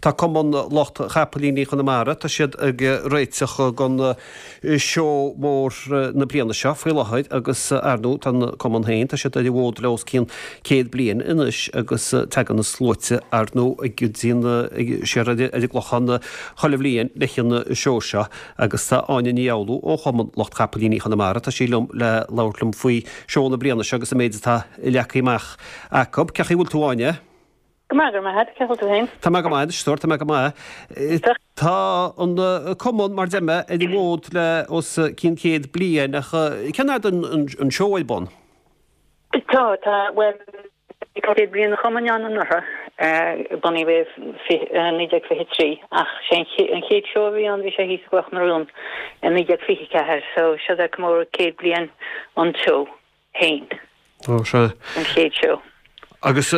Tá Cumann Lucht Chapaillíní Chonamara, tá siad ag réiteach don seó mór na bliana seo faoi láthair agus ar ndóigh tá an cumann féin, tá siad ar an bhfód le os cionn 100 bliain anois agus tagann na sluaite ar ndóigh go dtí an, siar ar an gClochán chuile bhliain leis an seó seo agus tá Áine Ní Fhoghlú ó Chumann Lucht Chapaillíní Chonamara, tá sí liom le labhairt liom faoi seó na bliana seo agus an méid atá leagtha amach acu. Cén chaoi a bhfuil tú Áine? Go maith, go raibh maith agat. Cén chaoi a bhfuil tú féin? Tá mé go maith anois, a stór, tá mé go maith. Tá an cumann, mar a deir mé, ar an bhfód le os cionn 100 bliain ach cén fhad an seó ar bun? Tá, tá, bhuel, bhí 100 bliain an chumainn ann anuraidh, bunaíodh é i 1923 ach sé an chéad seó a bhí ann bhí sé thíos i gCloch na Rón i 1924 so seo é comóradh 100 bliain an tseó. féin. Ó, sea. An chéad seó. Agus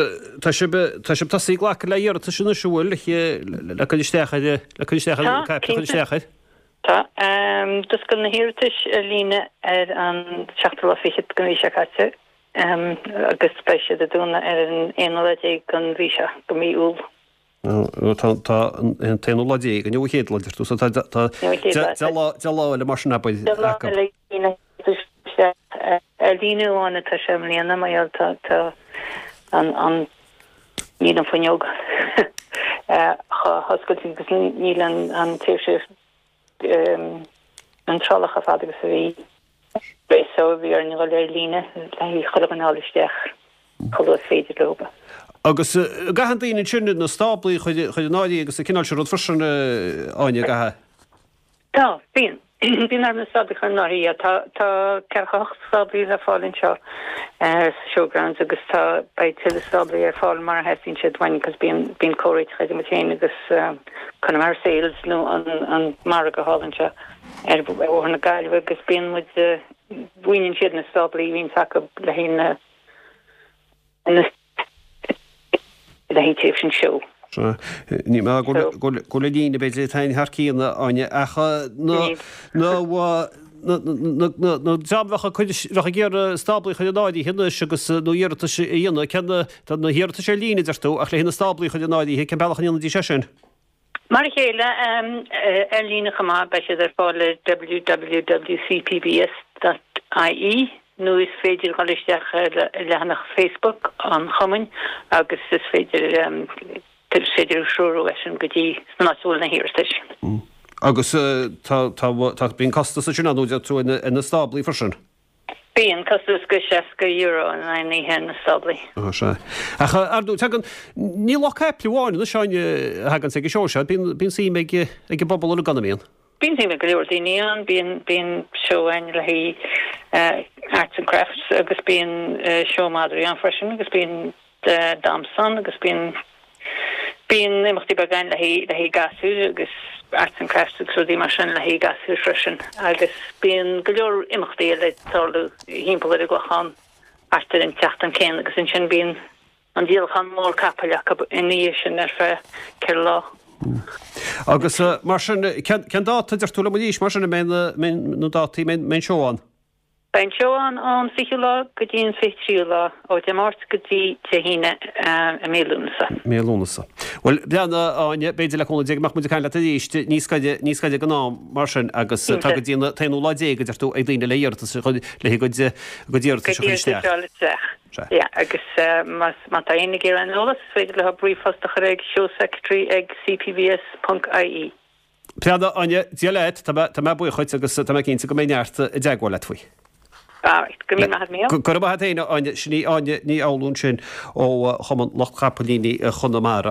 tá sibh, tá sibh tosaithe ag glacadh le hiarratais anois, an bhfuil, le, le cur isteach ar, le cur isteach ar, Tá, caiple a chur cinnte. isteach air? Tá. D'oscail na hiarratais ar líne ar an seachtú lá fichead den mhí seo caite agus beidh siad ag dúnadh ar an aonú lá déag den mhí seo, de mhí Iúil. Tá, tá an t-aonú lá déag, inniu an chéad lá, deir tú, so tá, tá Inniu an chéad lá, 10 lá, 10 lá eile mar sin, abair, 10 lá acu. eile na hiarratais isteach ar líne amháin atá sé i mbliana, mar gheall tá, tá an, an, níl an fuinneog chomh hoscailte agus níl an, an tsaoirse iontrála chomh fada agus a bhí. So bhí orainn dhul ar líne le chuile dhuine a fháil isteach chomh luath is féidir leo. Agus an gcaitheann daoine ansin na stáblaí a chur in áirithe agus an cineál sin rud freisin, Áine, an gcaitheann? Tá, bíonn. Bíonn orthu na stáblaí a chur in áirithe. Tá, tá 48 stáblaí le fáil anseo sa Showgrounds agus tá, beidh tuilleadh stáblaí ar fáil mar a theastaíonn siad uainn cos bíonn, bíonn comhréiteach idir muid féin agus Connemara Sales nó an, an margadh thall anseo. ar Bhóthar na Gaillimhe agus bíonn muid, mhaoiníonn siad na stáblaí a bhíonns acu le haghaidh na, le haghaidh tréimhse an seó. Sea. Ní mé go bhfuil an líne b'fhéidir ag taitneamh thar cionn, a Áine, ach na, na, na, na, na dream a bheadh ag cur, bheadh ag iarraidh stáblaí a chur in áirithe anois agus nó iarratais a dhéanamh, cén, tá na hiarratais ar líne, a deir tú, ach le haghaidh na stáblaí a chur in áirithe, cén bealach a ndéanfaidís é sin? Mar a chéile, ar líne chomh maith, beidh siad ar fáil ar www.cpbs.ie nó is féidir dhul isteach ar leathanach Facebook an chumainn agus is féidir is féidir threorú eisean go dtí san áit a bhfuil na hiarratais. Agus tá, tá, tá, bíonn costas ansin ann, deir tú, ar na stáblaí freisin? Bíonn costas go €60 in aghaidh an oíche ar na stáblaí. Á, sea. Ach, ar ndóigh, tagann, ní lucht caiple amháin anois, Áine, a thaganns ag an seó seo, bíonn, bíonn suim ag, ag an bpobal uilig ann, an mbíonn? Bíonn suim ag go leor daoine ann, bíonn, bíonn seó ann le haghaidh arts and crafts agus bíonn seó madraí ann freisin agus bíonn damhsa ann agus bíonn bíonn imeachtaí beaga ann le haghaidh le haghaidh gasúir agus arts and crafts agus rudaí mar sin le haghaidh gasúir freisin agus bíonn go leor imeachtaí eile ag tarlú thimpeall ar an gClochán thart ar an tseachtain céanna agus ansin bíonn an díolachán mór capaill acu ina dhiaidh sin ar feadh 4 lá. Agus mar sin, cén dáta a deir tú liom arís mar sin a mbeidh na dátaí, a mbeidh an seó ann? Beidh an seó ann ón 20ú lá go dtí an 23ú lá, ó Dé Máirt go dtí Dé hAoine i mí Lúnasa. Mí Lúnasa. Bhuel, breathnaigh, a Áine, b'fhéidir le cúnamh Dé go mbeadh muid ag caint leat arís níos gaire, níos gaire don am mar sin agus tá go dtí an t-aonú lá déag, a deir tú, ag daoine le hiarratas a chur, le a gcuid, a gcuid iarratais a chur isteach. Iarratais a fháil isteach. Sea. Yeah, agus más, má tá éinne ag iarraidh aon eolas, is féidir leo ríomhphost a chur ag showsecretary ag cpbs ponc ie. Breathnaigh, a Áine, Dia leat, tá mé, tá mé buíoch dhuit agus tá mé cinnte go mbeidh neart i dteagmháil leat faoi. Alright, go raibh míle maith agat Mícheál. Go raibh maith agat féin, a Áine. Sin í Áine Ní Fhoghlú ansin ó Chumann Lucht Chapaillíní Chonamara.